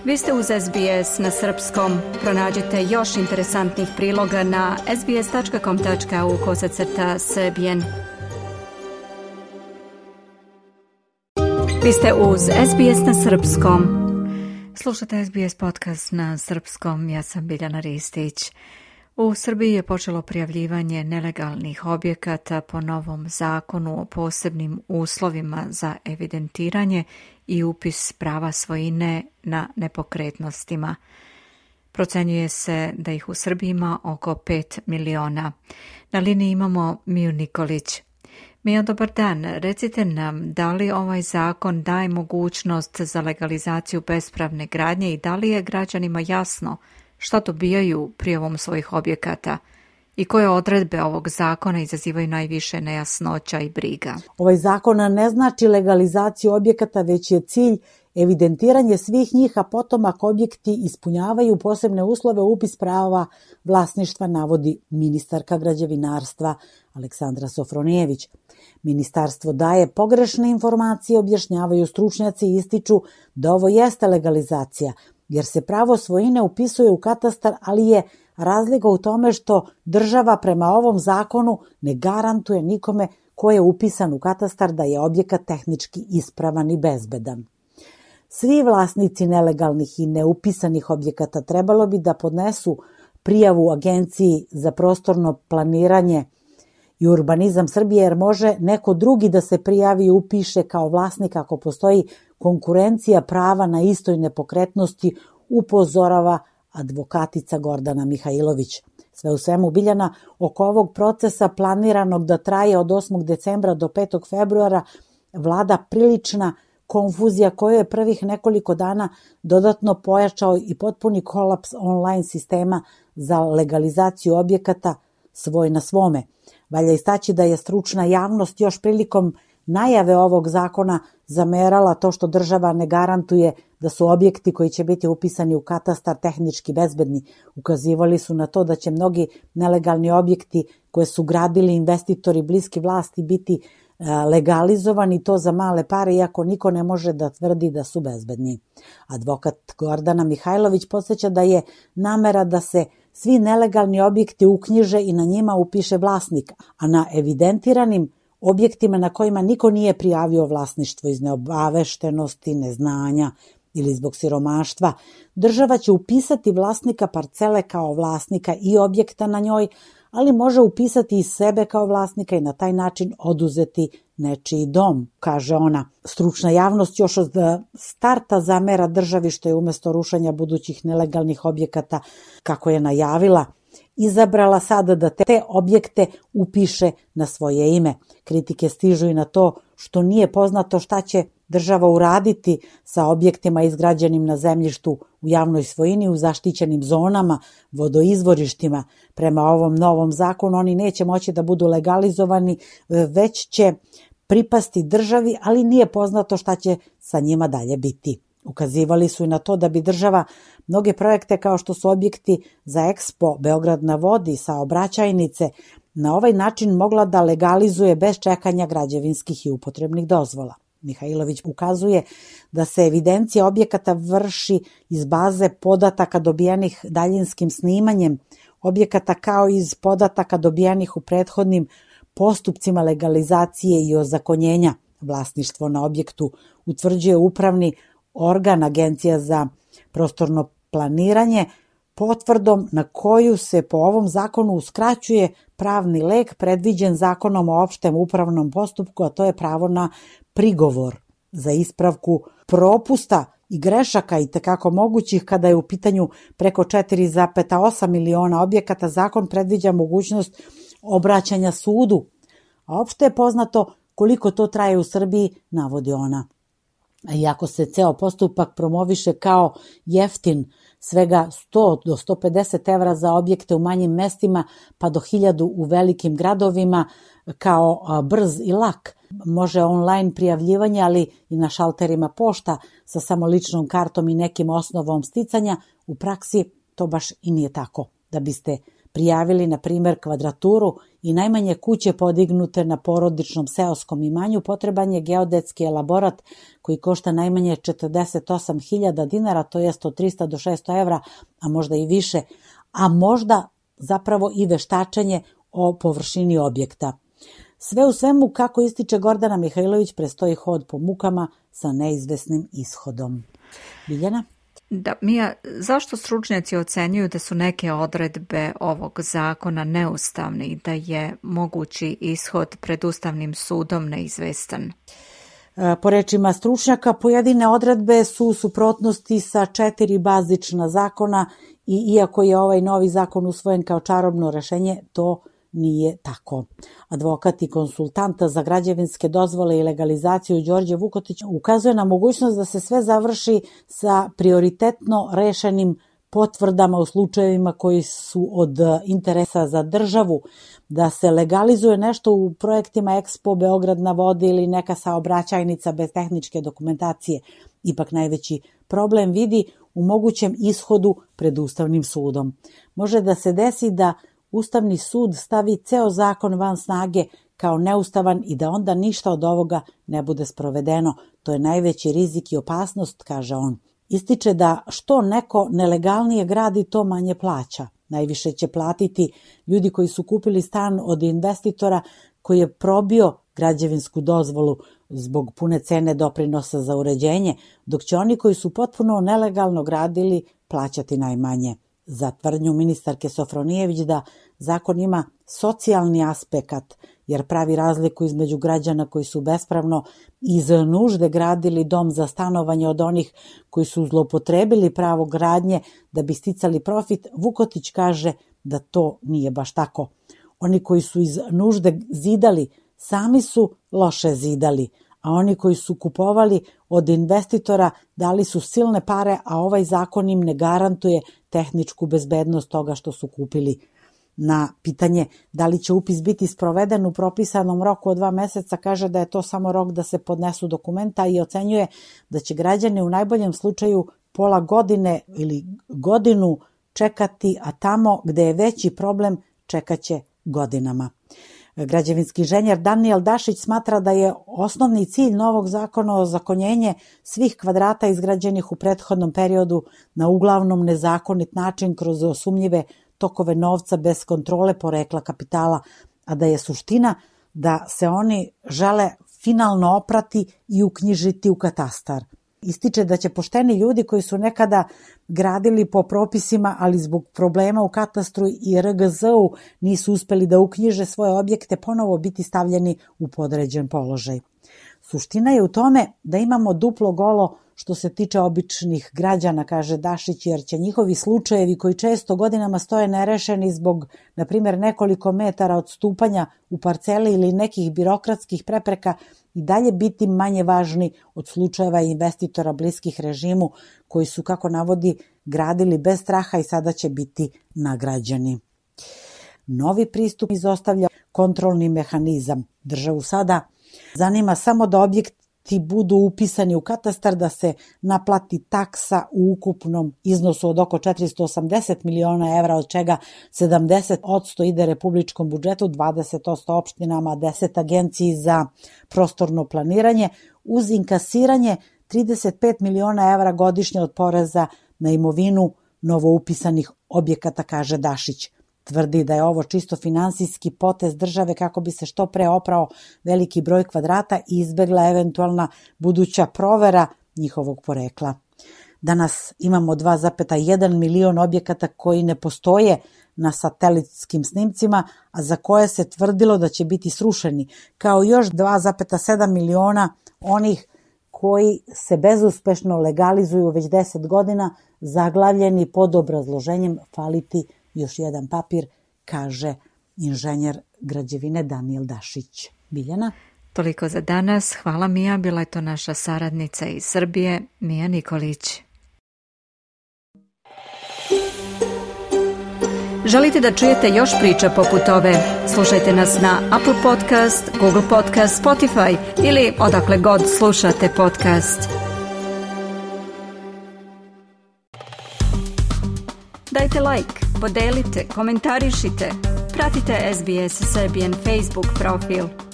Vi ste uz SBS na srpskom. Pronađite još interesantnih priloga na sbs.com.au/srbijen. Vi ste uz SBS na srpskom. Slušate SBS podcast na srpskom. Ja sam Biljana Ristić. U Srbiji je počelo prijavljivanje nelegalnih objekata po novom zakonu o posebnim uslovima za evidentiranje i upis prava svojine na nepokretnostima. Procenjuje se da ih u Srbiji ima oko 5 miliona. Na liniji imamo Miju Nikolić. Mija, dobar dan. Recite nam, da li ovaj zakon daje mogućnost za legalizaciju bespravne gradnje i da li je građanima jasno šta dobijaju prijavom svojih objekata i koje odredbe ovog zakona izazivaju najviše nejasnoća i briga? Ovaj zakon ne znači legalizaciju objekata, već je cilj evidentiranje svih njih, a potom ako objekti ispunjavaju posebne uslove, upis prava vlasništva, navodi ministarka građevinarstva Aleksandra Sofronijević. Ministarstvo daje pogrešne informacije, objašnjavaju stručnjaci i ističu da ovo jeste legalizacija, jer se pravo svojine upisuje u katastar, ali je razlika u tome što država prema ovom zakonu ne garantuje nikome ko je upisan u katastar da je objekat tehnički ispravan i bezbedan. Svi vlasnici nelegalnih i neupisanih objekata trebalo bi da podnesu prijavu Agenciji za prostorno planiranje i urbanizam Srbije, jer može neko drugi da se prijavi i upiše kao vlasnik ako postoji konkurencija prava na istoj nepokretnosti, upozorava advokatica Gordana Mihajlović. Sve u svemu, Biljana, oko ovog procesa planiranog da traje od 8. decembra do 5. februara vlada prilična konfuzija koju je prvih nekoliko dana dodatno pojačao i potpuni kolaps online sistema za legalizaciju objekata svoj na svome. Valja istaći da je stručna javnost još prilikom najave ovog zakona zamerala to što država ne garantuje da su objekti koji će biti upisani u katastar tehnički bezbedni. Ukazivali su na to da će mnogi nelegalni objekti koje su gradili investitori bliski vlasti biti legalizovani, to za male pare, iako niko ne može da tvrdi da su bezbedni. Advokat Gordana Mihajlović podsjeća da je namera da se svi nelegalni objekti uknjiže i na njima upiše vlasnik, a na evidentiranim objektima na kojima niko nije prijavio vlasništvo iz neobaveštenosti, neznanja ili zbog siromaštva, država će upisati vlasnika parcele kao vlasnika i objekta na njoj, ali može upisati i sebe kao vlasnika i na taj način oduzeti nečiji dom, kaže ona. Stručna javnost još od starta zamera državi što je umesto rušenja budućih nelegalnih objekata, kako je najavila, izabrala sada da te objekte upiše na svoje ime. Kritike stižu i na to što nije poznato šta će država uraditi sa objektima izgrađenim na zemljištu u javnoj svojini, u zaštićenim zonama, vodoizvorištima. Prema ovom novom zakonu oni neće moći da budu legalizovani, već će pripasti državi, ali nije poznato šta će sa njima dalje biti. Ukazivali su i na to da bi država mnoge projekte kao što su objekti za Expo, Beograd na vodi, saobraćajnice, na ovaj način mogla da legalizuje bez čekanja građevinskih i upotrebnih dozvola. Mihajlović ukazuje da se evidencija objekata vrši iz baze podataka dobijenih daljinskim snimanjem objekata kao iz podataka dobijenih u prethodnim postupcima legalizacije i ozakonjenja. Vlasništvo na objektu utvrđuje upravni organ Agencija za prostorno planiranje potvrdom na koju se po ovom zakonu uskraćuje pravni lek predviđen Zakonom o opštem upravnom postupku, a to je pravo na prigovor za ispravku propusta i grešaka i tekako mogućih kada je u pitanju preko 4,8 miliona objekata. Zakon predviđa mogućnost obraćanja sudu, a opšte je poznato koliko to traje u Srbiji, navodi ona. Iako se ceo postupak promoviše kao jeftin, svega 100 do 150 evra za objekte u manjim mestima, pa do 1000 u velikim gradovima, kao brz i lak. Može online prijavljivanje, ali i na šalterima pošta sa samo ličnom kartom i nekim osnovom sticanja. U praksi to baš i nije tako. Da biste prijavili, na primjer, kvadraturu i najmanje kuće podignute na porodičnom seoskom imanju, potreban je geodetski elaborat koji košta najmanje 48.000 dinara, to jest od 300 do 600 evra, a možda i više, a možda zapravo i veštačenje o površini objekta. Sve u svemu, kako ističe Gordana Mihajlović, prestoji hod po mukama sa neizvesnim ishodom. Biljana? Da, Mija, zašto stručnjaci ocenjuju da su neke odredbe ovog zakona neustavne i da je mogući ishod pred Ustavnim sudom neizvestan? Po rečima stručnjaka, pojedine odredbe su u suprotnosti sa 4 bazična zakona i iako je ovaj novi zakon usvojen kao čarobno rešenje, to nije tako. Advokat i konsultant za građevinske dozvole i legalizaciju Đorđe Vukotić ukazuje na mogućnost da se sve završi sa prioritetno rešenim potvrdama u slučajevima koji su od interesa za državu, da se legalizuje nešto u projektima Expo, Beograd na vodi ili neka saobraćajnica bez tehničke dokumentacije. Ipak najveći problem vidi u mogućem ishodu pred Ustavnim sudom. Može da se desi da Ustavni sud stavi ceo zakon van snage kao neustavan i da onda ništa od ovoga ne bude sprovedeno. To je najveći rizik i opasnost, kaže on. Ističe da što neko nelegalnije gradi, to manje plaća. Najviše će platiti ljudi koji su kupili stan od investitora koji je probio građevinsku dozvolu zbog pune cene doprinosa za uređenje, dok će oni koji su potpuno nelegalno gradili plaćati najmanje. Za tvrdnju ministarke Sofronijević da zakon ima socijalni aspekt, jer pravi razliku između građana koji su bespravno iz nužde gradili dom za stanovanje od onih koji su zloupotrebili pravo gradnje da bi sticali profit, Vukotić kaže da to nije baš tako. Oni koji su iz nužde zidali, sami su loše zidali, a oni koji su kupovali od investitora dali su silne pare, a ovaj zakon im ne garantuje tehničku bezbednost toga što su kupili. Na pitanje da li će upis biti sproveden u propisanom roku od 2 meseca, kaže da je to samo rok da se podnesu dokumenta i ocenjuje da će građani u najboljem slučaju pola godine ili godinu čekati, a tamo gde je veći problem čekaće godinama. Građevinski inženjer Daniel Dašić smatra da je osnovni cilj novog zakona ozakonjenje svih kvadrata izgrađenih u prethodnom periodu na uglavnom nezakonit način kroz sumnjive tokove novca bez kontrole porekla kapitala, a da je suština da se oni žele finalno oprati i uknjižiti u katastar. Ističe da će pošteni ljudi koji su nekada gradili po propisima, ali zbog problema u katastru i RGZ-u nisu uspeli da uknjiže svoje objekte, ponovo biti stavljeni u podređen položaj. Suština je u tome da imamo duplo golo što se tiče običnih građana, kaže Dašić, jer će njihovi slučajevi koji često godinama stoje nerešeni zbog, na primjer, nekoliko metara odstupanja u parceli ili nekih birokratskih prepreka i dalje biti manje važni od slučajeva investitora bliskih režimu koji su, kako navodi, gradili bez straha i sada će biti nagrađeni. Novi pristup izostavlja kontrolni mehanizam. Državu sada zanima samo da objekti budu upisani u katastar, da se naplati taksa u ukupnom iznosu od oko 480 miliona evra, od čega 70% ide republičkom budžetu, 20% opštinama, 10 agenciji za prostorno planiranje, uz inkasiranje 35 miliona evra godišnje od poreza na imovinu novoupisanih objekata, kaže Dašić. Tvrdi da je ovo čisto finansijski potez države kako bi se što pre oprao veliki broj kvadrata i izbegla eventualna buduća provera njihovog porekla. Danas imamo 2,1 milion objekata koji ne postoje na satelitskim snimcima, a za koje se tvrdilo da će biti srušeni, kao još 2,7 miliona onih koji se bezuspešno legalizuju već 10 godina, zaglavljeni pod obrazloženjem faliti još jedan papir, kaže inženjer građevine Daniel Dašić. Biljana? Toliko za danas. Hvala Mija, bila je to naša saradnica iz Srbije, Mija Nikolić. Želite da čujete još priča poput ove? Slušajte nas na Apple Podcast, Google Podcast, Spotify ili odakle god slušate podcast. Dajte like, podelite, komentarišite. Pratite SBS Serbian Facebook profil.